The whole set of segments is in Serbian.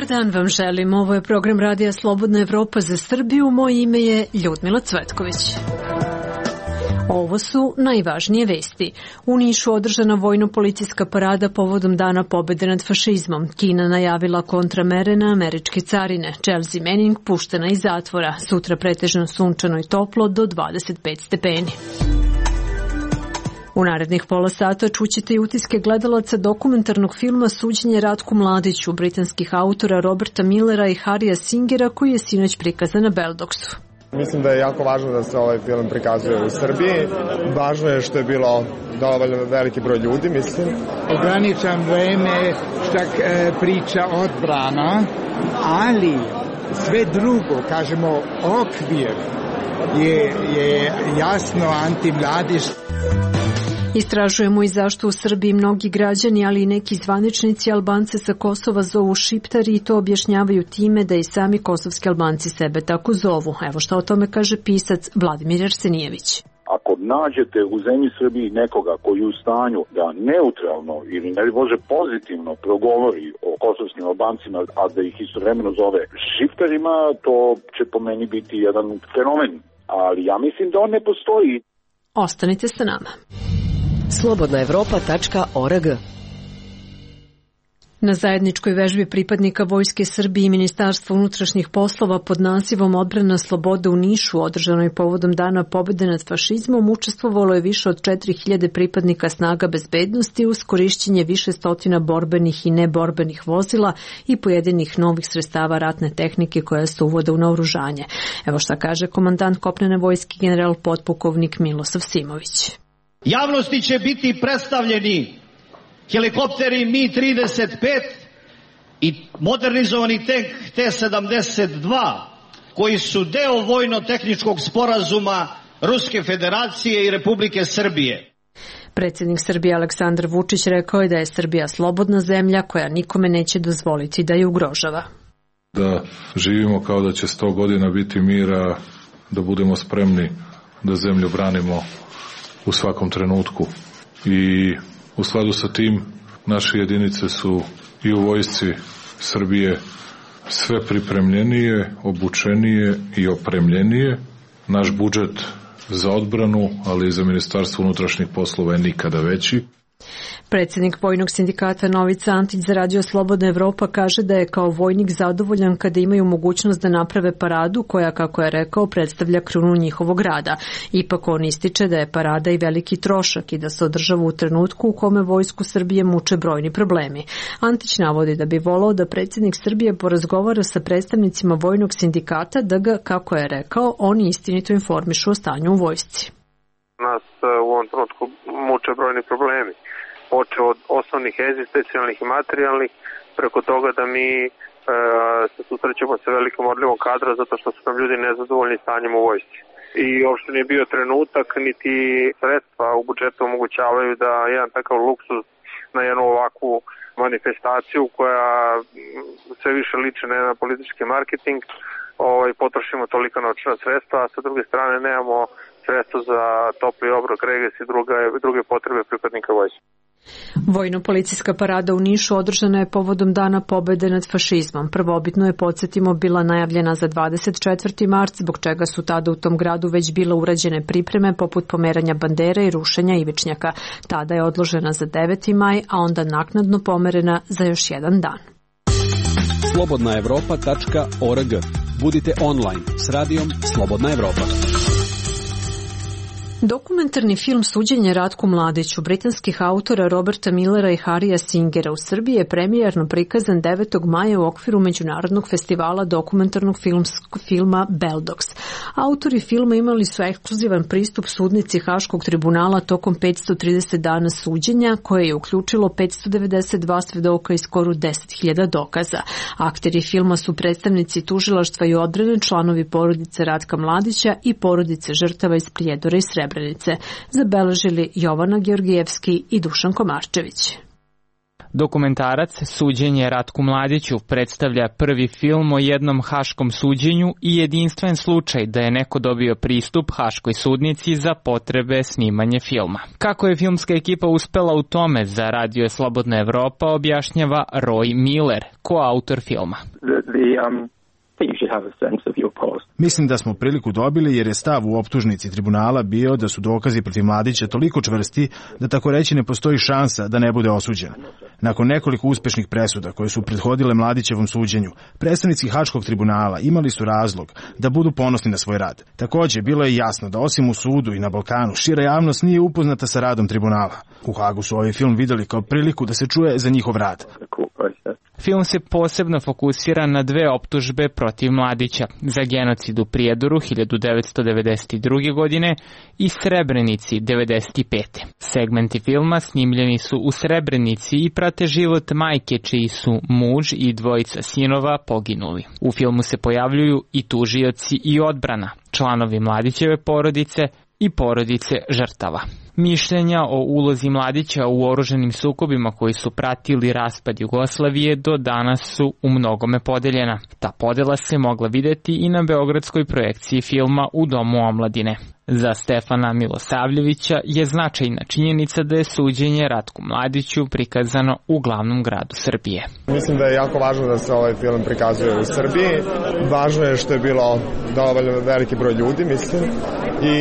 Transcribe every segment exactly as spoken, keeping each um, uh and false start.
dan vam želim. Ovo je program Radija Slobodna Evropa za Srbiju. Moje ime je Ljudmila Cvetković. Ovo su najvažnije vesti. U Nišu održana vojno-policijska parada povodom Dana pobede nad fašizmom. Kina najavila kontramere na američke carine. Chelsea Manning puštena iz zatvora. Sutra pretežno sunčano i toplo do dvadeset pet stepeni. U narednih pola sata čućete i utiske gledalaca dokumentarnog filma Suđenje Ratku Mladiću, britanskih autora Roberta Millera i Harrya Singera, koji je sinoć prikazan na Beldoksu. Mislim da je jako važno da se ovaj film prikazuje u Srbiji. Važno je što je bilo dovoljno veliki broj ljudi, mislim. Ograničan vreme šta e, priča odbrana, ali sve drugo, kažemo, okvir je, je jasno antimladiš. Istražujemo i zašto u Srbiji mnogi građani, ali i neki zvaničnici Albance sa Kosova zovu šiptari i to objašnjavaju time da i sami kosovski Albanci sebe tako zovu. Evo šta o tome kaže pisac Vladimir Arsenijević. Ako nađete u zemlji Srbiji nekoga koji je u stanju da neutralno ili ne može pozitivno progovori o kosovskim Albancima, a da ih istovremeno zove šiptarima, to će po meni biti jedan fenomen. Ali ja mislim da on ne postoji. Ostanite sa nama. slobodna evropa tačka org. Na zajedničkoj vežbi pripadnika Vojske Srbije i Ministarstva unutrašnjih poslova pod nazivom Odbrana slobode u Nišu, održanoj povodom Dana pobede nad fašizmom, učestvovalo je više od četiri hiljade pripadnika snaga bezbednosti uz korišćenje više stotina borbenih i neborbenih vozila i pojedinih novih sredstava ratne tehnike koja se uvode u naoružanje. Evo šta kaže komandant kopnene vojske general potpukovnik Milosav Simović. Javnosti će biti predstavljeni helikopteri Mi trideset pet i modernizovani tank T sedamdeset dva, koji su deo vojno-tehničkog sporazuma Ruske Federacije i Republike Srbije. Predsjednik Srbije Aleksandar Vučić rekao je da je Srbija slobodna zemlja koja nikome neće dozvoliti da je ugrožava. Da živimo kao da će sto godina biti mira, da budemo spremni da zemlju branimo u svakom trenutku. I u skladu sa tim naše jedinice su i u vojsci Srbije sve pripremljenije, obučenije i opremljenije. Naš budžet za odbranu, ali i za Ministarstvo unutrašnjih poslova je nikada veći. Predsjednik vojnog sindikata Novica Antić za Radio Slobodna Evropa kaže da je kao vojnik zadovoljan kada imaju mogućnost da naprave paradu koja, kako je rekao, predstavlja krunu njihovog rada. Ipak on ističe da je parada i veliki trošak i da se održava u trenutku u kome vojsku Srbije muče brojni problemi. Antić navodi da bi volao da predsjednik Srbije porazgovara sa predstavnicima vojnog sindikata da ga, kako je rekao, oni istinito informišu o stanju u vojsci. Nas u ovom trenutku muče brojni problemi. Počeo od osnovnih egzistencijalnih i materijalnih, preko toga da mi e, se susrećemo sa velikom odlivom kadra zato što su nam ljudi nezadovoljni stanjem u vojsci. I uopšte nije bio trenutak, niti sredstva u budžetu omogućavaju da jedan takav luksuz na jednu ovakvu manifestaciju koja sve više liči na jedan politički marketing, ovaj, potrošimo tolika novčana sredstva, a sa druge strane nemamo sredstva za topli obrok, regres i druge, druge potrebe pripadnika vojske. Vojno-policijska parada u Nišu održana je povodom Dana pobede nad fašizmom. Prvobitno je, podsjetimo, bila najavljena za dvadeset četvrti mart, zbog čega su tada u tom gradu već bile urađene pripreme poput pomeranja bandere i rušenja ivičnjaka. Tada je odložena za deveti maj, a onda naknadno pomerena za još jedan dan. slobodna evropa tačka org. Budite online s radijom Slobodna Evropa. Dokumentarni film Suđenje Ratku Mladiću britanskih autora Roberta Millera i Harrya Singera u Srbiji je premijerno prikazan devetog maja u okviru Međunarodnog festivala dokumentarnog filma Beldoks. Autori filma imali su ekskluzivan pristup sudnici Haškog tribunala tokom petsto trideset dana suđenja, koje je uključilo petsto devedeset dva svedoka i skoro deset hiljada dokaza. Akteri filma su predstavnici tužilaštva i odbrane, članovi porodice Ratka Mladića i porodice žrtava iz Prijedora i Srebrenice, zabeležili Jovana Georgijevski i Dušan Komarčević. Dokumentarac Suđenje Ratku Mladiću predstavlja prvi film o jednom haškom suđenju i jedinstven slučaj da je neko dobio pristup haškoj sudnici za potrebe snimanja filma. Kako je filmska ekipa uspela u tome, za Radio Slobodna Evropa objašnjava Roy Miller, koautor filma. The, the, um... Mislim da smo priliku dobili jer je stav u optužnici tribunala bio da su dokazi protiv Mladića toliko čvrsti da tako reći ne postoji šansa da ne bude osuđen. Nakon nekoliko uspešnih presuda koje su prethodile Mladićevom suđenju, predstavnici Haškog tribunala imali su razlog da budu ponosni na svoj rad. Takođe, bilo je jasno da osim u sudu i na Balkanu, šira javnost nije upoznata sa radom tribunala. U Hagu su ovaj film videli kao priliku da se čuje za njihov rad. Film se posebno fokusira na dve optužbe protiv Mladića, za genocid u Prijedoru hiljadu devetsto devedeset druge. godine i Srebrenici devedeset pete. Segmenti filma snimljeni su u Srebrenici i prate život majke čiji su muž i dvojica sinova poginuli. U filmu se pojavljuju i tužioci i odbrana, članovi Mladićeve porodice i porodice žrtava. Mišljenja o ulozi Mladića u oruženim sukobima koji su pratili raspad Jugoslavije do danas su u mnogome podeljena. Ta podela se mogla videti i na beogradskoj projekciji filma U domu omladine. Za Stefana Milosavljevića je značajna činjenica da je suđenje Ratku Mladiću prikazano u glavnom gradu Srbije. Mislim da je jako važno da se ovaj film prikazuje u Srbiji. Važno je što je bilo dovoljno veliki broj ljudi, mislim. I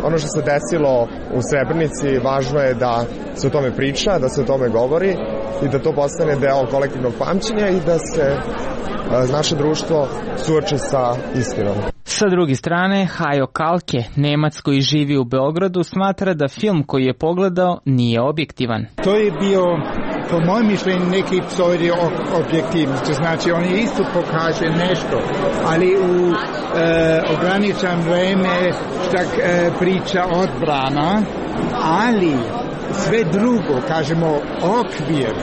ono što se desilo u Srebrenici, važno je da se o tome priča, da se o tome govori i da to postane deo kolektivnog pamćenja i da se naše društvo suoči sa istinom. Sa druge strane, Hajo Kalke, Nemac koji živi u Beogradu, smatra da film koji je pogledao nije objektivan. To je bio, po mojem mišljenju, neki pseudo objektivnosti. Znači, on je isto pokaže nešto, ali u e, ograničan vreme štak e, priča odbrana, ali sve drugo, kažemo, okvir,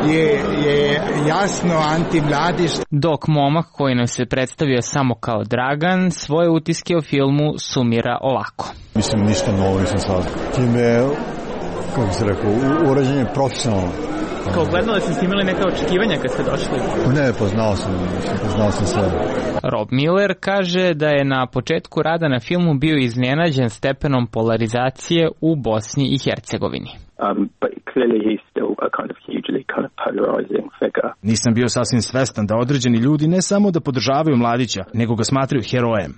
je, je jasno antimladić. Dok momak koji nam se predstavio samo kao Dragan, svoje utiske o filmu sumira ovako. Mislim, ništa novo nisam sad. Time, kako se rekao, urađen je profesionalno. Kao gledali ste imali neka očekivanja kad ste došli? Ne, poznao sam, poznao sam sve. Rob Miller kaže da je na početku rada na filmu bio iznenađen stepenom polarizacije u Bosni i Hercegovini. Um, but clearly he's still a kind of hugely kind of polarizing figure. Nisam bio sasvim svestan da određeni ljudi ne samo da podržavaju Mladića, nego ga smatraju herojem.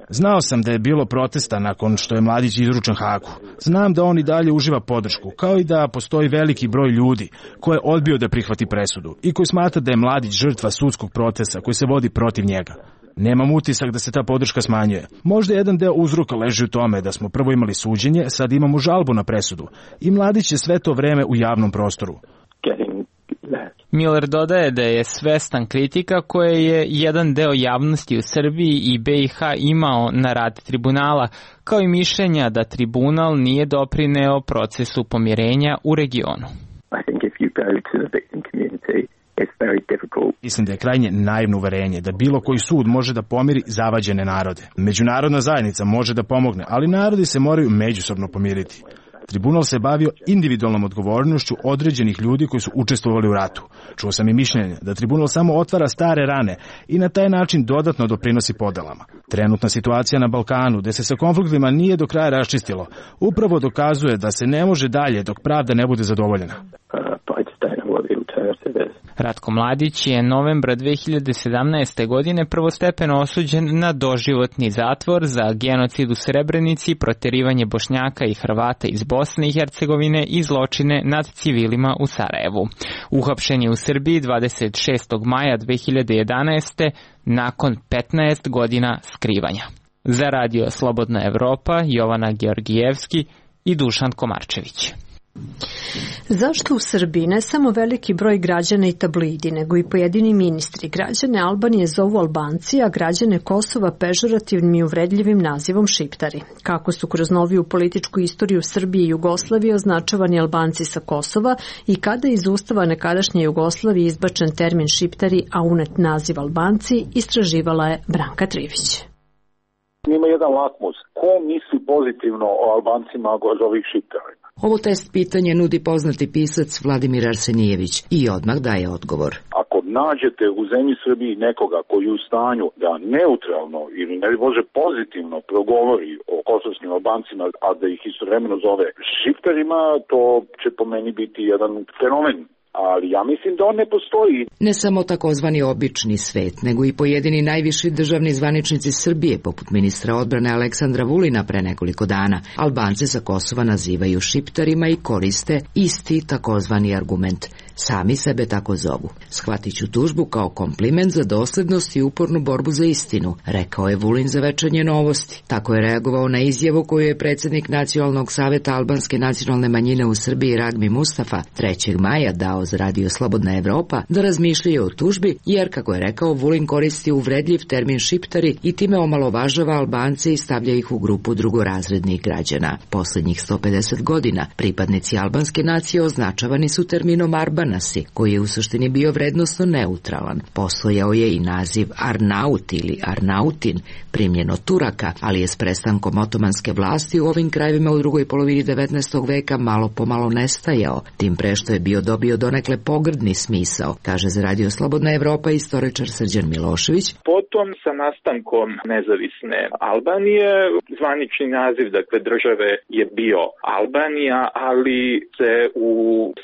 Znao sam da je bilo protesta nakon što je Mladić izručen Hagu. Znam da on i dalje uživa podršku, kao i da postoji veliki broj ljudi koji je odbio da prihvati presudu i koji smatra da je Mladić žrtva sudskog procesa koji se vodi protiv njega. Nemam utisak da se ta podrška smanjuje. Možda jedan deo uzroka leži u tome da smo prvo imali suđenje, sad imamo žalbu na presudu i Mladić je sve to vreme u javnom prostoru. Miller dodaje da je svestan kritika koje je jedan deo javnosti u Srbiji i B i H imao na rad tribunala, kao i mišljenja da tribunal nije doprineo procesu pomirenja u regionu. Mislim da je krajnje naivno uverenje da bilo koji sud može da pomiri zavađene narode. Međunarodna zajednica može da pomogne, ali narodi se moraju međusobno pomiriti. Tribunal se bavio individualnom odgovornošću određenih ljudi koji su učestvovali u ratu. Čuo sam i mišljenje da tribunal samo otvara stare rane i na taj način dodatno doprinosi podelama. Trenutna situacija na Balkanu, gde se sa konfliktima nije do kraja raščistilo, upravo dokazuje da se ne može dalje dok pravda ne bude zadovoljena. Ratko Mladić je novembra dve hiljade sedamnaeste. godine prvostepeno osuđen na doživotni zatvor za genocid u Srebrenici, proterivanje Bošnjaka i Hrvata iz Bosne i Hercegovine i zločine nad civilima u Sarajevu. Uhapšen je u Srbiji dvadeset šestog maja dve hiljade jedanaeste. nakon petnaest godina skrivanja. Za Radio Slobodna Evropa, Jovana Georgijevski i Dušan Komarčević. Zašto u Srbiji ne samo veliki broj građana i tabloidi, nego i pojedini ministri građane Albanije zovu Albanci, a građane Kosova pežorativnim i uvredljivim nazivom Šiptari? Kako su kroz noviju političku istoriju Srbije i Jugoslavije označavani Albanci sa Kosova i kada iz ustava nekadašnje Jugoslavije izbačen termin Šiptari, a unet naziv Albanci, istraživala je Branka Trivić. Ima jedan lakmus. Ko misli pozitivno o Albancima, go zove ih Šiptarima? Ovo test pitanje nudi poznati pisac Vladimir Arsenijević i odmah daje odgovor. Ako nađete u zemlji Srbiji nekoga koji je u stanju da neutralno ili ne može pozitivno progovori o kosovskim Albancima, a da ih istovremeno zove šifterima, to će po meni biti jedan fenomen. Ali ja mislim da on ne postoji. Ne samo takozvani obični svet, nego i pojedini najviši državni zvaničnici Srbije, poput ministra odbrane Aleksandra Vulina pre nekoliko dana, Albance sa Kosova nazivaju šiptarima i koriste isti takozvani argument. Sami sebe tako zovu. Shvatit ću tužbu kao kompliment za doslednost i upornu borbu za istinu, rekao je Vulin za Večernje novosti. Tako je reagovao na izjavu koju je predsjednik Nacionalnog saveta albanske nacionalne manjine u Srbiji Ragmi Mustafa trećeg maja dao za radio Slobodna Evropa da razmišljaju o tužbi, jer, kako je rekao, Vulin koristi uvredljiv termin šiptari i time omalovažava Albance i stavlja ih u grupu drugorazrednih građana. Posljednjih sto pedeset godina pripadnici albanske nacije označavani su terminom Arbanasi, koji je u suštini bio vrednosno neutralan. Postojao je i naziv Arnaut ili Arnautin, primljen od Turaka, ali je s prestankom otomanske vlasti u ovim krajevima u drugoj polovini devetnaestog veka malo pomalo nestajao, tim pre što je bio dobio donekle pogrdni smisao, kaže za radio Slobodna Evropa istoričar Srđan Milošević. Potom sa nastankom nezavisne Albanije, zvanični naziv dakle države je bio Albanija, ali se u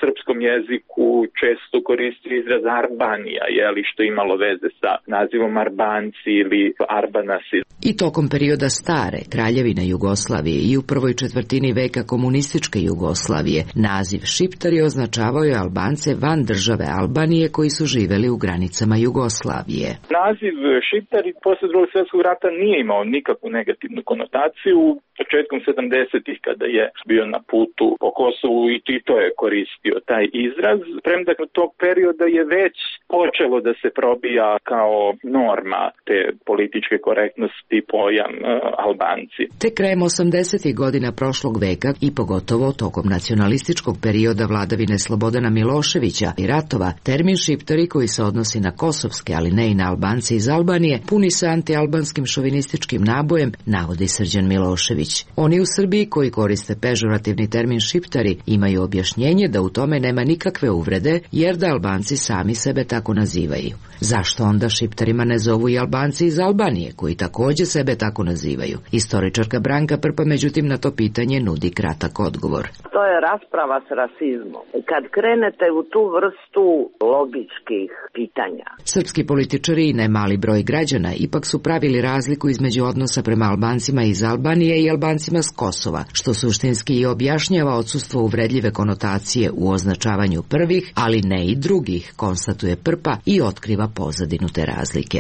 srpskom jeziku često koristi izraz Arbanija, jeli, što imalo veze sa nazivom Arbanci ili Arbanasi. I tokom perioda stare kraljevine Jugoslavije i u prvoj četvrtini veka komunističke Jugoslavije, naziv šiptari označavao je Albance van države Albanije koji su živeli u granicama Jugoslavije. Naziv šiptari posle Drugog svjetskog rata nije imao nikakvu negativnu konotaciju. Početkom sedamdesetih kada je bio na putu po Kosovu i Tito je koristio taj izraz, premda tog perioda je već počelo da se probija kao norma te političke korektnosti pojam uh, Albanci. Te krajem osamdesetih godina prošlog veka i pogotovo tokom nacionalističkog perioda vladavine Slobodana Miloševića i ratova, termin šiptari koji se odnosi na kosovske, ali ne i na Albance iz Albanije, puni se antialbanskim šovinističkim nabojem, navodi Srđan Milošević. Oni u Srbiji koji koriste pežorativni termin šiptari imaju objašnjenje da u tome nema nikakve uvrede, jer da Albanci sami sebe tako nazivaju. Zašto onda šiptarima ne zovu i Albanci iz Albanije, koji također sebe tako nazivaju? Istoričarka Branka Prpa međutim na to pitanje nudi kratak odgovor. To je rasprava s rasizmom. Kad krenete u tu vrstu logičkih pitanja. Srpski političari i nemali broj građana ipak su pravili razliku između odnosa prema Albancima iz Albanije i Albancima s Kosova, što suštinski i objašnjava odsustvo uvredljive konotacije u označavanju prvih, ali ne i drugih, konstatuje Prpa i otkriva pozadinu te razlike.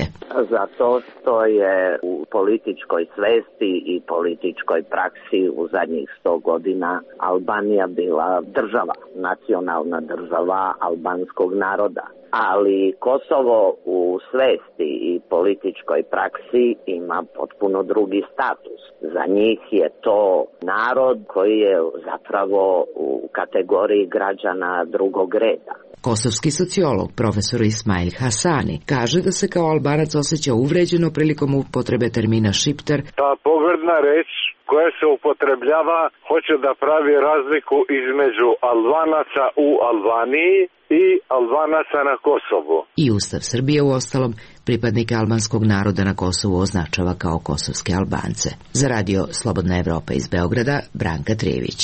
Zato što je u političkoj svesti i političkoj praksi u zadnjih sto godina Albanija bila država, nacionalna država albanskog naroda. Ali Kosovo u svesti i političkoj praksi ima potpuno drugi status. Za njih je to narod koji je zapravo u kategoriji građana drugog reda. Kosovski sociolog, profesor Ismail Hasani, kaže da se kao Albanac osjeća uvređeno prilikom upotrebe termina šiptar. Ta pogrdna reč koja se upotrebljava hoće da pravi razliku između Albanaca u Albaniji i Albanaca na Kosovu. I Ustav Srbije u ostalom pripadnike albanskog naroda na Kosovu označava kao kosovske Albance. Za radio Slobodna Evropa iz Beograda, Branka Trijević.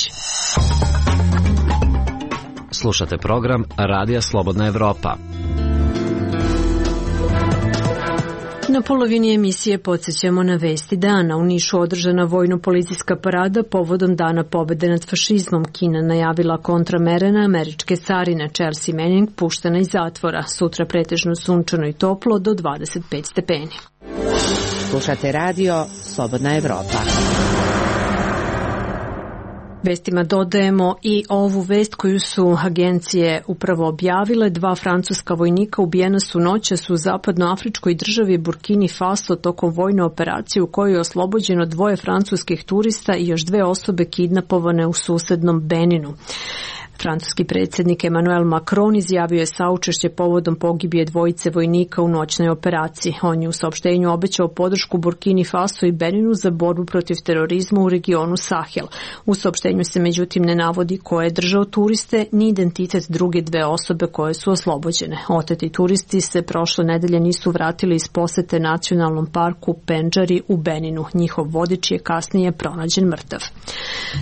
Slušate program Radija Slobodna Evropa. Na polovini emisije podsjećamo na vesti dana. U Nišu održana vojno-policijska parada povodom Dana pobede nad fašizmom. Kina najavila kontramere na američke carine. Chelsea Manning puštena iz zatvora. Sutra pretežno sunčano i toplo do dvadeset pet stepeni. Slušate radio Slobodna Evropa. Vestima dodajemo i ovu vest koju su agencije upravo objavile. Dva francuska vojnika ubijena su noćas u zapadnoafričkoj državi Burkini Faso tokom vojne operacije u kojoj je oslobođeno dvoje francuskih turista i još dve osobe kidnapovane u susednom Beninu. Francuski predsjednik Emmanuel Macron izjavio je saučešće povodom pogibije dvojice vojnika u noćnoj operaciji. On je u saopštenju obećao podršku Burkini Faso i Beninu za borbu protiv terorizma u regionu Sahel. U saopštenju se međutim ne navodi ko je držao turiste ni identitet druge dve osobe koje su oslobođene. Oteti turisti se prošle nedelje nisu vratili iz posete nacionalnom parku Pendžari u Beninu. Njihov vodič je kasnije pronađen mrtav.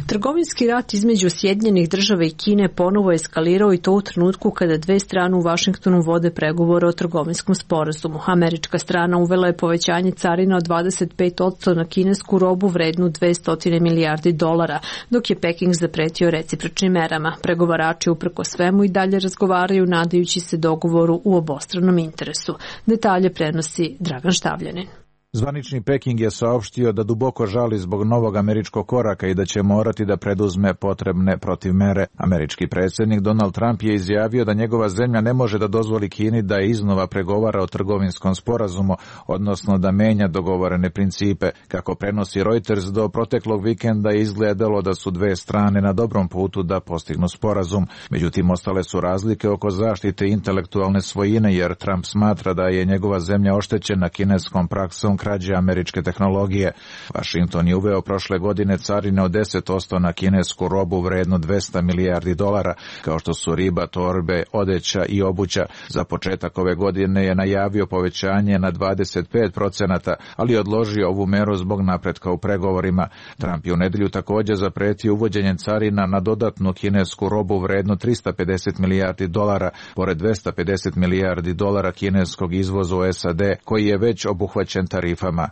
Trgovinski rat između Sjedinjenih država i Kine ponovo eskalirao i to u trenutku kada dve strane u Vašingtonu vode pregovore o trgovinskom sporazumu. Američka strana uvela je povećanje carina od dvadeset pet posto na kinesku robu vrednu dvesta milijardi dolara, dok je Peking zapretio recipročnim merama. Pregovarači uprko svemu i dalje razgovaraju nadajući se dogovoru u obostranom interesu. Detalje prenosi Dragan Štavljanin. Zvanični Peking je saopštio da duboko žali zbog novog američkog koraka i da će morati da preduzme potrebne protivmere. Američki predsjednik Donald Trump je izjavio da njegova zemlja ne može da dozvoli Kini da iznova pregovara o trgovinskom sporazumu, odnosno da menja dogovorene principe. Kako prenosi Reuters, do proteklog vikenda je izgledalo da su dve strane na dobrom putu da postignu sporazum. Međutim, ostale su razlike oko zaštite intelektualne svojine, jer Trump smatra da je njegova zemlja oštećena kineskom praksom krađe američke tehnologije. Washington je uveo prošle godine carine od deset posto na kinesku robu vrednu dvesta milijardi dolara, kao što su riba, torbe, odeća i obuća. Za početak ove godine je najavio povećanje na dvadeset pet procenata, ali odložio ovu meru zbog napretka u pregovorima. Trump je u nedelju također zapretio uvođenje carina na dodatnu kinesku robu vrednu trista pedeset milijardi dolara, pored dvesta pedeset milijardi dolara kineskog izvoza u S A D, koji je već obuhvaćen tarifama.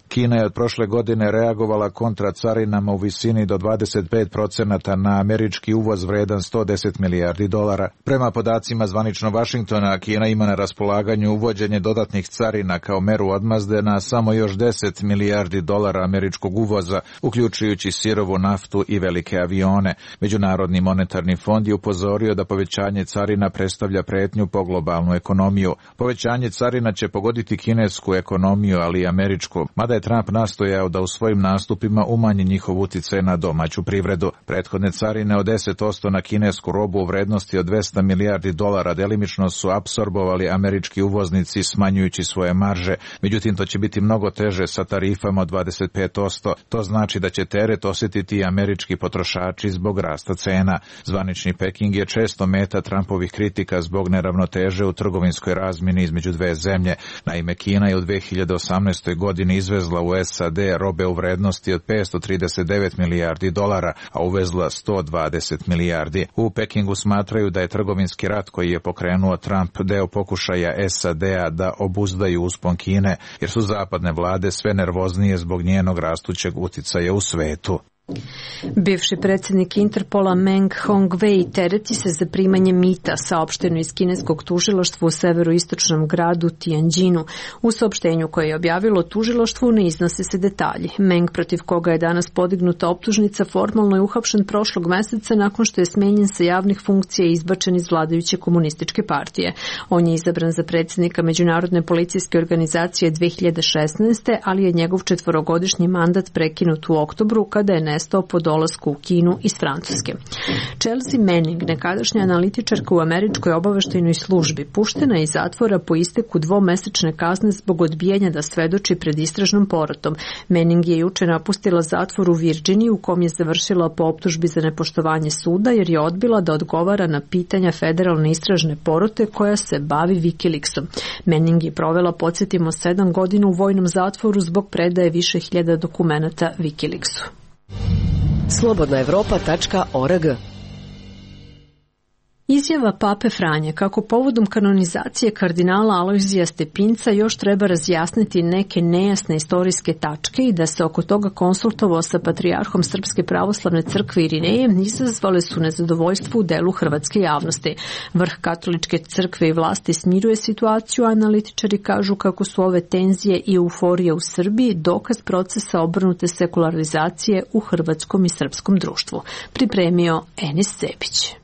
Kina je od prošle godine reagovala kontra carinama u visini do dvadeset pet procenata na američki uvoz vredan sto deset milijardi dolara. Prema podacima zvanično Vašingtona, Kina ima na raspolaganju uvođenje dodatnih carina kao meru odmazde na samo još deset milijardi dolara američkog uvoza, uključujući sirovu naftu i velike avione. Međunarodni monetarni fond je upozorio da povećanje carina predstavlja pretnju po globalnu ekonomiju. Povećanje carina će pogoditi kinesku ekonomiju, ali i američku, mada je Trump nastojao da u svojim nastupima umanji njihov uticaj na domaću privredu. Prethodne carine od deset posto na kinesku robu u vrednosti od dvesta milijardi dolara delimično su apsorbovali američki uvoznici smanjujući svoje marže. Međutim, to će biti mnogo teže sa tarifama od dvadeset pet posto. To znači da će teret osjetiti i američki potrošači zbog rasta cena. Zvanični Peking je često meta Trumpovih kritika zbog neravnoteže u trgovinskoj razmjeni između dve zemlje. Naime, Kina je u dve hiljade osamnaestoj godini izvezla u S A D robe u vrednosti od petsto trideset devet milijardi dolara, a uvezla sto dvadeset milijardi. U Pekingu smatraju da je trgovinski rat koji je pokrenuo Trump deo pokušaja S A D-a da obuzdaju uspon Kine, jer su zapadne vlade sve nervoznije zbog njenog rastućeg uticaja u svetu. Bivši predsjednik Interpola Meng Hongwei tereti se za primanje mita, saopšteno iz kineskog tužilaštva u severoistočnom gradu Tianjinu. U saopštenju koje je objavilo tužilaštvo ne iznose se detalji. Meng, protiv koga je danas podignuta optužnica, formalno je uhapšen prošlog meseca nakon što je smenjen sa javnih funkcija i izbačen iz vladajuće komunističke partije. On je izabran za predsjednika Međunarodne policijske organizacije dve hiljade šesnaeste. ali je njegov četvorogodišnji mandat prekinut u oktobru kada je nestao po dolasku u Kinu iz Francuske. Chelsea Manning, nekadašnja analitičarka u američkoj obaveštajnoj službi, puštena je iz zatvora po isteku dvomesečne kazne zbog odbijanja da svedoči pred istražnom porotom. Manning je juče napustila zatvor u Virginiji u kom je završila po optužbi za nepoštovanje suda jer je odbila da odgovara na pitanja federalne istražne porote koja se bavi Wikileaksom. Manning je provela, podsjetimo, sedam godina u vojnom zatvoru zbog predaje više hiljada dokumenata Wikileaksu. slobodna evropa tačka org. Izjava Pape Franje kako povodom kanonizacije kardinala Alojzija Stepinca još treba razjasniti neke nejasne istorijske tačke i da se oko toga konsultovao sa patrijarhom Srpske pravoslavne crkve Irineje, izazvale su nezadovoljstvo u delu hrvatske javnosti. Vrh katoličke crkve i vlasti smiruje situaciju, a analitičari kažu kako su ove tenzije i euforije u Srbiji dokaz procesa obrnute sekularizacije u hrvatskom i srpskom društvu. Pripremio Enis Cepić.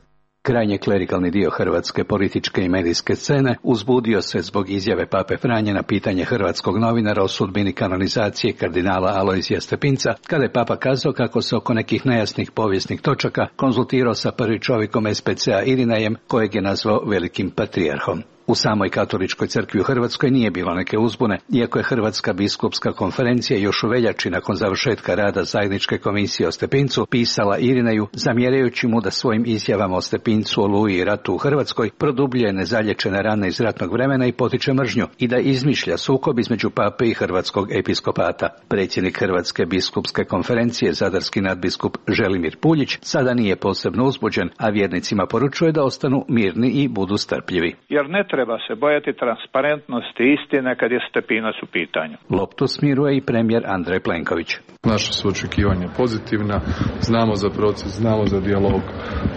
Krajnje klerikalni dio hrvatske političke i medijske scene uzbudio se zbog izjave pape Franje na pitanje hrvatskog novinara o sudbini kanonizacije kardinala Alojzija Stepinca, kada je papa kazao kako se oko nekih nejasnih povijesnih točaka konzultirao sa prvi čovjekom es pe ce a Irinejem, kojeg je nazvao velikim patrijarhom. U samoj katoličkoj crkvi u Hrvatskoj nije bilo neke uzbune, iako je Hrvatska biskupska konferencija još u veljači nakon završetka rada zajedničke komisije o Stepincu pisala Irineju, zamjerajući mu da svojim izjavama o Stepincu, Oluji i ratu u Hrvatskoj produbljuje nezalječene rane iz ratnog vremena i potiče mržnju i da izmišlja sukob između pape i hrvatskog episkopata. Predsjednik Hrvatske biskupske konferencije, zadarski nadbiskup Želimir Puljić, sada nije posebno uzbuđen, a vjernicima poručuje da ostanu mirni i budu strpljivi. Jer ne treba se bojati transparentnosti istine kad je Stepinac u pitanju. Loptu smiruje i premijer Andrej Plenković. Naša su očekivanja pozitivna, znamo za proces, znamo za dijalog,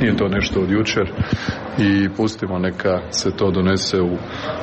nije to nešto od jučer i pustimo neka se to donese u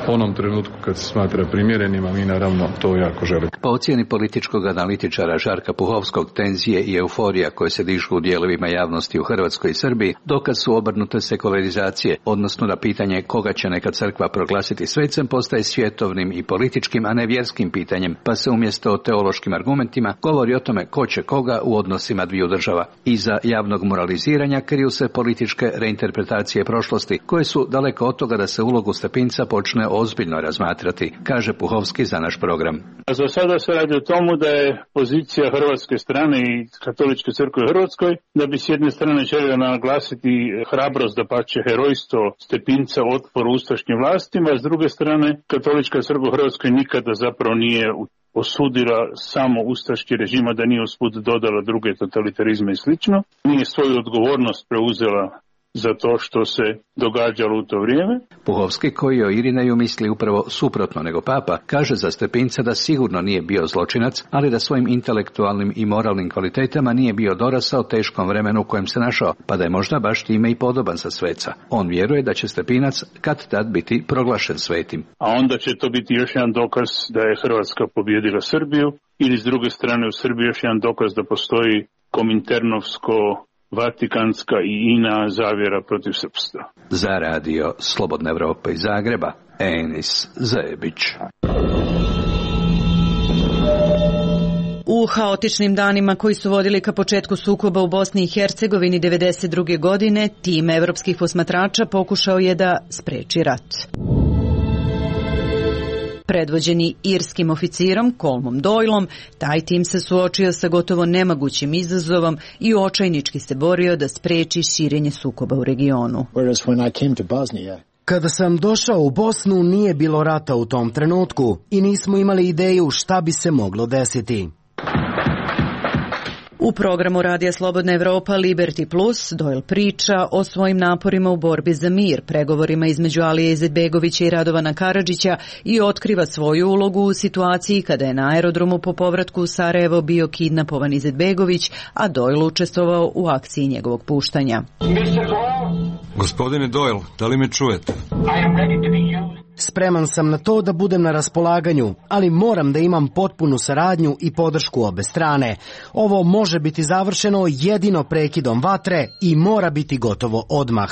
onom trenutku kad se smatra primjerenim, a mi naravno to jako želimo. Po ocjeni političkog analitičara Žarka Puhovskog, tenzije i euforija koje se dižu u dijelovima javnosti u Hrvatskoj i Srbiji dokaz su obrnute sekularizacije, odnosno na pitanje koga će neka crkva proglasiti svecem postaje svjetovnim i političkim, a ne vjerskim pitanjem, pa se umjesto o teološkim argumentima govori o tome ko će koga u odnosima dviju država. Iza javnog moraliziranja kriju se političke reinterpretacije prošlosti, koje su daleko od toga da se ulogu Stepinca počne ozbiljno razmatrati, kaže Puhovski za naš program. Za sada se radi o tomu da je pozicija hrvatske strane i katoličke crkve u Hrvatskoj, da bi s jedne strane želio naglasiti hrabrost, da pače herojstvo Stepinca u otporu ustaškim vlastima, a s druge strane katolička crkva u Hrvatskoj nikada zapravo nije osudila samo ustaški režima, da nije usput dodala druge totalitarizme i slično. Nije svoju odgovornost preuzela za to što se događalo u to vrijeme. Puhovski, koji o Irineju misli upravo suprotno nego papa, kaže za Stepinca da sigurno nije bio zločinac, ali da svojim intelektualnim i moralnim kvalitetama nije bio dorasao teškom vremenu u kojem se našao, pa da je možda baš time i podoban za sveca. On vjeruje da će Stepinac kad tad biti proglašen svetim. A onda će to biti još jedan dokaz da je Hrvatska pobjedila Srbiju, ili s druge strane u Srbiji još jedan dokaz da postoji kominternovsko vatikanska i ina zavjera protiv srpstva. Za radio Slobodna Evropa iz Zagreba, Enis Zebić. U haotičnim danima koji su vodili ka početku sukoba u Bosni i Hercegovini devedeset druge godine, tim evropskih posmatrača pokušao je da spreči rat. Predvođeni irskim oficirom Colmom Doylom, taj tim se suočio sa gotovo nemagućim izazovom i očajnički se borio da spreči širenje sukoba u regionu. Kada sam došao u Bosnu, nije bilo rata u tom trenutku i nismo imali ideju šta bi se moglo desiti. U programu Radija Slobodna Evropa Liberty Plus Doyle priča o svojim naporima u borbi za mir, pregovorima između Alije Izetbegovića i Radovana Karadžića i otkriva svoju ulogu u situaciji kada je na aerodromu po povratku u Sarajevo bio kidnapovan Izetbegović, a Doyle učestvovao u akciji njegovog puštanja. Gospodine Doyle, da li me čujete? Spreman sam na to da budem na raspolaganju, ali moram da imam potpunu saradnju i podršku obe strane. Ovo može biti završeno jedino prekidom vatre i mora biti gotovo odmah.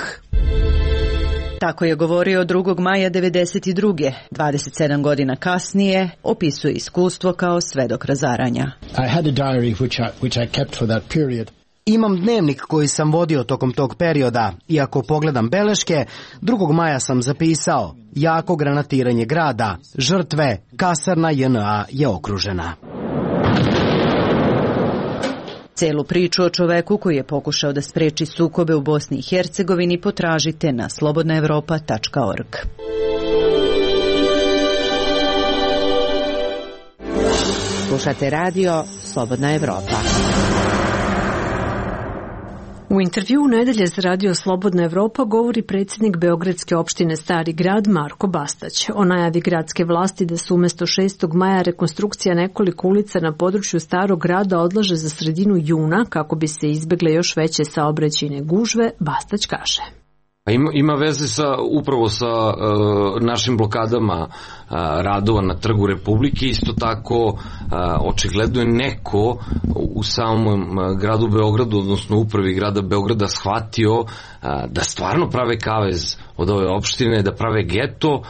Tako je govorio drugog maja devedeset druge. dvadeset sedam godina kasnije opisuje iskustvo kao svedok razaranja. I had a diary which I, which I kept for that period. Imam dnevnik koji sam vodio tokom tog perioda i ako pogledam beleške, drugog maja sam zapisao jako granatiranje grada, žrtve, kasarna J N A je okružena. Celu priču o čoveku koji je pokušao da spreči sukobe u Bosni i Hercegovini potražite na slobodna evropa tačka org. Slušate radio Slobodna Evropa. U intervjuu nedelje za radio Slobodna Evropa govori predsjednik Beogradske opštine Stari grad Marko Bastać o najavi gradske vlasti da su umjesto šestog maja rekonstrukcija nekoliko ulica na području Starog grada odlaže za sredinu juna kako bi se izbegle još veće saobraćajne gužve. Bastać kaže: Ima, ima veze sa, upravo sa uh, našim blokadama uh, radova na Trgu Republike. Isto tako uh, očigledno je neko u samom uh, gradu Beogradu, odnosno upravi grada Beograda shvatio uh, da stvarno prave kavez od ove opštine, da prave geto uh,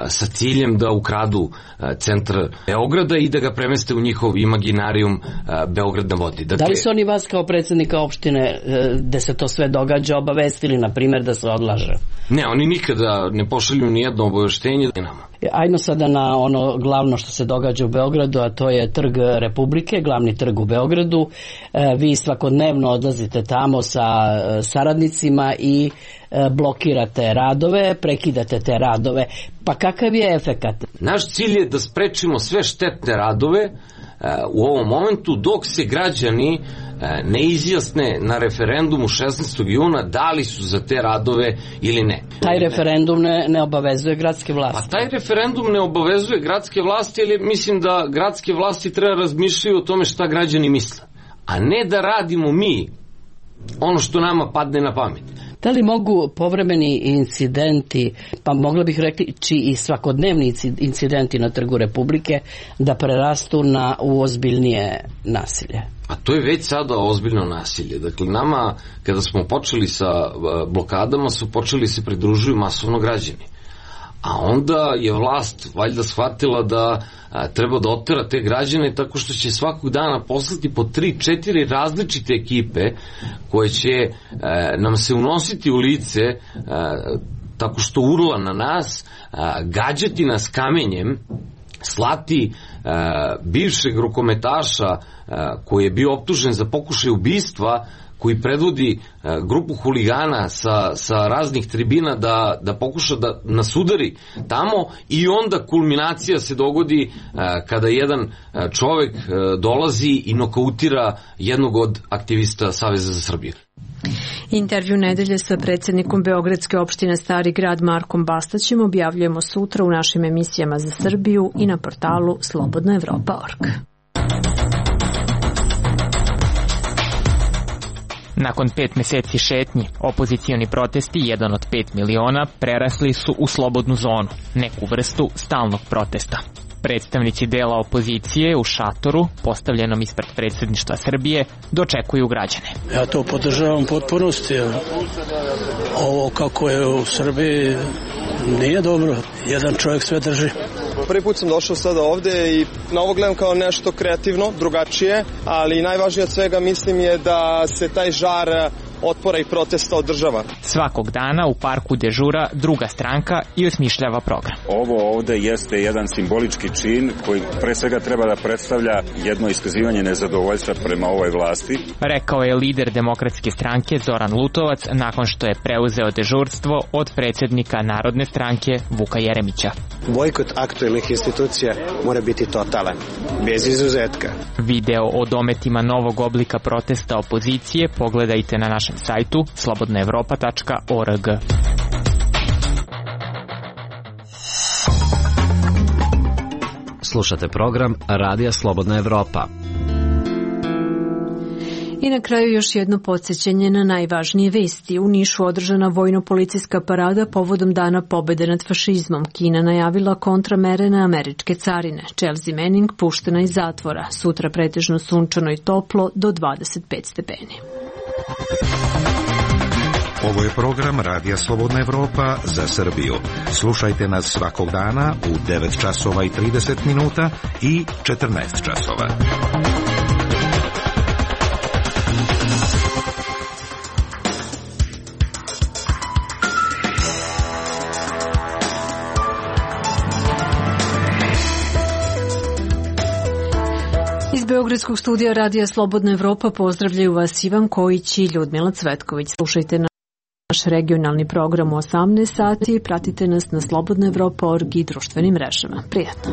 sa ciljem da ukradu uh, centar Beograda i da ga premeste u njihov imaginarijum uh, Beograd na vodi. Dakle, da li su oni vas kao predsjednika opštine uh, gde se to sve događa obavestili, na primjer, da se odlaže? Ne, oni nikada ne pošalju ni jedno obaveštenje nama. Ajmo sada na ono glavno što se događa u Beogradu, a to je Trg Republike, glavni trg u Beogradu. E, vi svakodnevno odlazite tamo sa e, saradnicima i e, blokirate radove, prekidate te radove. Pa kakav je efekat? Naš cilj je da sprečimo sve štetne radove e, u ovom momentu dok se građani ne izjasne na referendumu šesnaestog juna da li su za te radove ili ne. Taj referendum ne, ne obavezuje gradske vlasti. Pa taj referendum ne obavezuje gradske vlasti, ali mislim da gradske vlasti treba razmišljati o tome šta građani misle, a ne da radimo mi ono što nama padne na pamet. Da li mogu povremeni incidenti, pa mogla bih reći i svakodnevni incidenti na Trgu Republike, da prerastu na ozbiljnije nasilje? A to je već sada ozbiljno nasilje. Dakle, nama, kada smo počeli sa blokadama, su počeli se pridružuju masovno građani. A onda je vlast valjda shvatila da a, treba da otera te građane tako što će svakog dana poslati po tri, četiri različite ekipe koje će a, nam se unositi u lice a, tako što urla na nas, a, gađati nas kamenjem, slati a, bivšeg rukometaša a, koji je bio optužen za pokušaj ubistva, koji predvodi uh, grupu huligana sa, sa raznih tribina da, da pokuša da nas udari tamo, i onda kulminacija se dogodi uh, kada jedan uh, čovek uh, dolazi i nokautira jednog od aktivista Saveza za Srbiju. Intervju nedelje sa predsjednikom Beogradske opštine Stari grad Markom Bastaćem objavljujemo sutra u našim emisijama za Srbiju i na portalu slobodna evropa tačka org. Nakon pet meseci šetnji, opozicioni protesti, jedan od pet miliona, prerasli su u slobodnu zonu, neku vrstu stalnog protesta. Predstavnici dela opozicije u šatoru, postavljenom ispred predsjedništva Srbije, dočekuju građane. Ja to podržavam potpunosti. Ovo kako je u Srbiji nije dobro. Jedan čovjek sve drži. Prvi put sam došao sada ovde i na ovo gledam kao nešto kreativno, drugačije, ali najvažnije od svega mislim je da se taj žar otpora i protesta održava. Svakog dana u parku dežura druga stranka i osmišljava program. Ovo ovde jeste jedan simbolički čin koji pre svega treba da predstavlja jedno iskazivanje nezadovoljstva prema ovoj vlasti. Rekao je lider Demokratske stranke Zoran Lutovac nakon što je preuzeo dežurstvo od predsjednika Narodne stranke Vuka Jeremića. Bojkot aktuelnih institucija mora biti totalan, bez izuzetka. Video o dometima novog oblika protesta opozicije pogledajte na našem sajtu slobodna evropa tačka org. Slušate program Radija Slobodna Evropa. I na kraju još jedno podsjećanje na najvažnije vesti. U Nišu održana vojno-policijska parada povodom Dana pobede nad fašizmom. Kina najavila kontramere na američke carine. Chelsea Manning puštena iz zatvora. Sutra pretežno sunčano i toplo do dvadeset pet stepeni. Ovo je program Radija Slobodna Evropa za Srbiju. Slušajte nas svakog dana u devet časova i trideset minuta i četrnaest časova. Iz Beogradskog studija Radija Slobodna Evropa pozdravljaju vas Ivan Kojić i Ljudmila Cvetković. Slušajte naš regionalni program u osamnaest sati i pratite nas na slobodna evropa tačka org i društvenim mrežama. Prijatno!